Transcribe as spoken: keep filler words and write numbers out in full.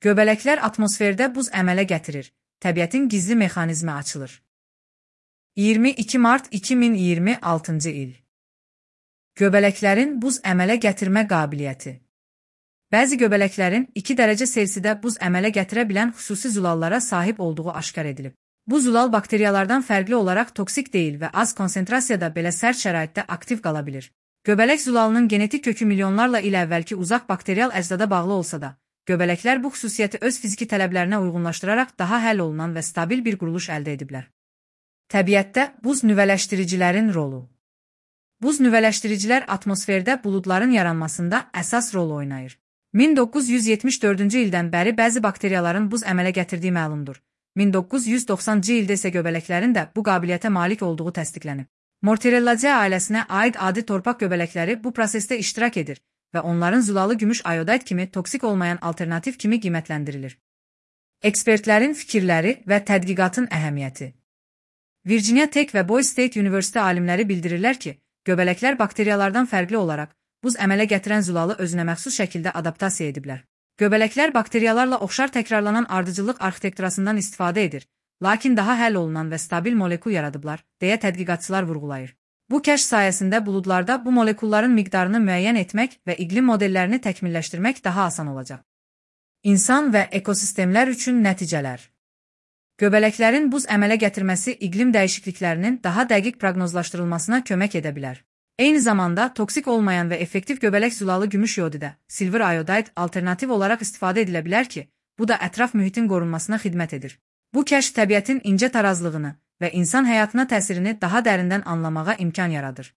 Göbələklər atmosferdə buz əmələ gətirir. Təbiətin gizli mexanizmi açılır. iyirmi iki mart iki min iyirmi altıncı il. Göbələklərin buz əmələ gətirmə qabiliyyəti. Bəzi göbələklərin iki dərəcə Selsidə buz əmələ gətirə bilən xüsusi zulallara sahib olduğu aşkar edilib. Bu zulal bakteriyalardan fərqli olaraq toksik deyil və az konsentrasiyada belə sərt şəraitdə aktiv qala bilir. Göbələk zulalının genetik kökü milyonlarla il əvvəlki uzaq bakterial əcdada bağlı olsa da, göbələklər bu xüsusiyyəti öz fiziki tələblərinə uyğunlaşdıraraq daha həll olunan və stabil bir quruluş əldə ediblər. Təbiətdə buz nüvələşdiricilərin rolu. Buz nüvələşdiricilər atmosferdə buludların yaranmasında əsas rol oynayır. min doqquz yüz yetmiş dördüncü ildən bəri bəzi bakteriyaların buz əmələ gətirdiyi məlumdur. min doqquz yüz doxsanıncı ildə isə göbələklərin də bu qabiliyyətə malik olduğu təsdiqlənib. Morterellaceae ailəsinə aid adi torpaq göbələkləri bu prosesdə iştirak edir və onların zulalı gümüş ayodit kimi toksik olmayan alternativ kimi qiymətləndirilir. Ekspertlərin fikirləri və tədqiqatın əhəmiyyəti. Virginia Tech və Boise State University alimləri bildirirlər ki, göbələklər bakteriyalardan fərqli olaraq buz əmələ gətirən zulalı özünə məxsus şəkildə adaptasiya ediblər. Göbələklər bakteriyalarla oxşar təkrarlanan ardıcıllıq arxitekturasından istifadə edir, lakin daha həll olunan və stabil molekul yaradıblar, deyə tədqiqatçılar vurğulayır. Bu kəşf sayəsində buludlarda bu molekulların miqdarını müəyyən etmək və iqlim modellərini təkmilləşdirmək daha asan olacaq. İnsan və ekosistemlər üçün nəticələr. Göbələklərin buz əmələ gətirməsi iqlim dəyişikliklərinin daha dəqiq proqnozlaşdırılmasına kömək edə bilər. Eyni zamanda toksik olmayan və effektiv göbələk zulalı gümüş yodidə, silver ayodit alternativ olaraq istifadə edilə bilər ki, bu da ətraf mühitin qorunmasına xidmət edir. Bu kəşf təbiətin incə tarazlığını və insan həyatına təsirini daha dərindən anlamağa imkan yaradır.